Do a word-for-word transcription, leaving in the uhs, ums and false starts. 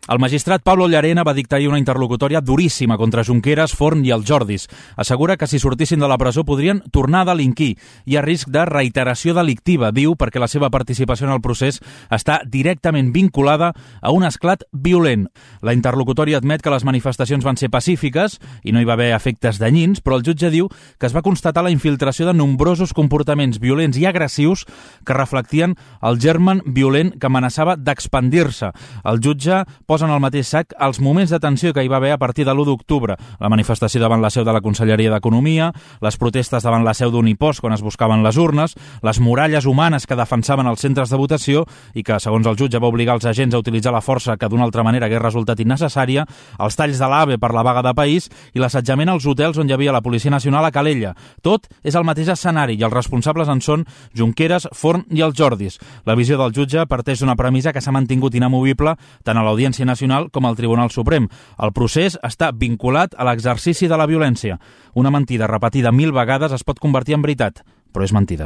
El magistrat Pablo Llarena va dictar ahir una interlocutòria duríssima contra Junqueras, Forn i els Jordis. Assegura que si sortissin de la presó podrien tornar a delinquir. Hi ha risc de reiteració delictiva, diu, perquè la seva participació en el procés està directament vinculada a un esclat violent. La interlocutòria admet que les manifestacions van ser pacífiques i no hi va haver efectes danyins, però el jutge diu que es va constatar la infiltració de nombrosos comportaments violents i agressius que reflectien el germen violent que amenaçava d'expandir-se. El jutge posa en el mateix sac els moments de tensió que hi va haver a partir de l'u d'octubre. La manifestació davant la seu de la Conselleria d'Economia, les protestes davant la seu d'Unipost quan es buscaven les urnes, les muralles humanes que defensaven els centres de votació i que, segons el jutge, va obligar els agents a utilitzar la força que d'una altra manera hagués resultat innecessària, els talls de l'AVE per la vaga de país i l'assetjament als hotels on hi havia la Policia Nacional a Calella. Tot és el mateix escenari i els responsables en són Junqueras, Forn i els Jordis. La visió del jutge parteix d'una premissa que s'ha mantingut inamovible tant a l'Audiència Nacional com al Tribunal Suprem. El procés està vinculat a l'exercici de la violència. Una mentida repetida mil vegades es pot convertir en veritat, però és mentida.